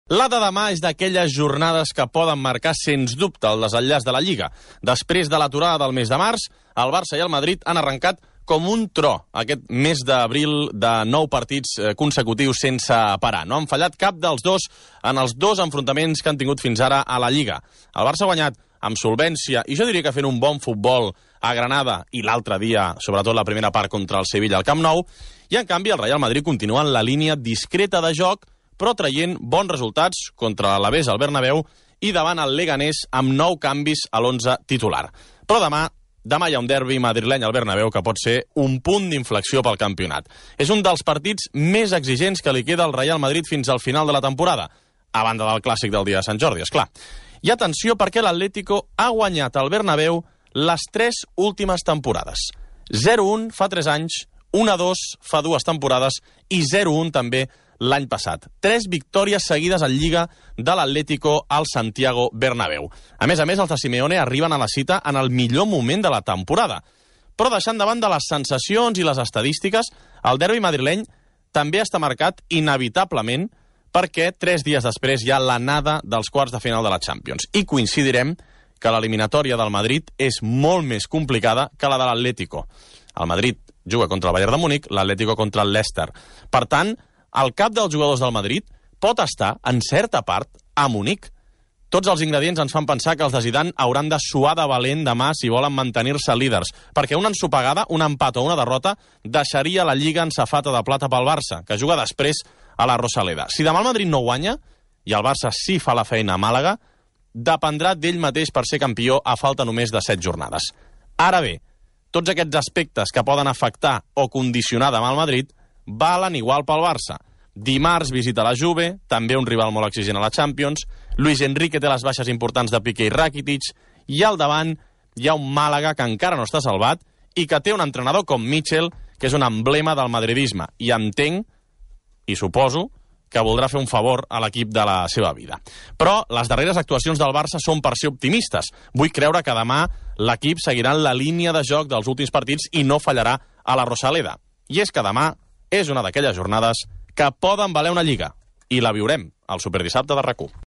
La de demà és d'aquelles jornades que poden marcar sens dubte el desenllaç de la Lliga. Després de l'aturada del mes de març, el Barça i el Madrid han arrencat com un tro aquest mes d'abril de 9 partits consecutius sense parar. No han fallat cap dels dos en els dos enfrontaments que han tingut fins ara a la Lliga. El Barça ha guanyat amb solvència i jo diria que fent un bon futbol a Granada i l'altre dia, sobretot la primera part contra el Sevilla al Camp Nou, i en canvi el Real Madrid continua en la línia discreta de joc però traient bons resultats contra l'Alavés al Bernabéu i davant el Leganés amb 9 canvis a l'11 titular. Però demà hi ha un derbi madrileny al Bernabéu que pot ser un punt d'inflexió pel campionat. És un dels partits més exigents que li queda al Real Madrid fins al final de la temporada, a banda del clàssic del dia de Sant Jordi, esclar. I atenció perquè l'Atlético ha guanyat al Bernabéu les 3 últimes temporades. 0-1 fa 3 anys, 1-2 fa 2 temporades i 0-1 també l'any passat. 3 victòries seguides en Lliga de l'Atlético al Santiago Bernabéu. A més, els de Simeone arriben a la cita en el millor moment de la temporada. Però deixant davant de les sensacions i les estadístiques, el derbi madrileny també està marcat inevitablement perquè 3 dies després hi ha l'anada dels quarts de final de la Champions. I coincidirem que l'eliminatòria del Madrid és molt més complicada que la de l'Atlético. El Madrid juga contra el Bayern de Múnich, l'Atlético contra el Leicester. Per tant, el cap dels jugadors del Madrid pot estar, en certa part, a Munic. Tots els ingredients ens fan pensar que els de Zidane hauran de suar de valent demà si volen mantenir-se líders, perquè una ensopegada, un empat o una derrota deixaria la Lliga en safata de plata pel Barça, que juga després a la Rosaleda. Si demà el Madrid no guanya, i el Barça sí fa la feina a Màlaga, dependrà d'ell mateix per ser campió a falta només de 7 jornades. Ara bé, tots aquests aspectes que poden afectar o condicionar demà el Madrid valen igual pel Barça. Dimarts visita la Juve, també un rival molt exigent a la Champions. Luis Enrique té les baixes importants de Piqué i Rakitic. I al davant hi ha un Màlaga que encara no està salvat i que té un entrenador com Mitchell, que és un emblema del madridisme. I entenc, i suposo, que voldrà fer un favor a l'equip de la seva vida. Però les darreres actuacions del Barça són per ser optimistes. Vull creure que demà l'equip seguirà en la línia de joc dels últims partits i no fallarà a la Rosaleda. I és que demà és una d'aquelles jornades que poden valer una Lliga. I la viurem al Superdissabte de RAC1.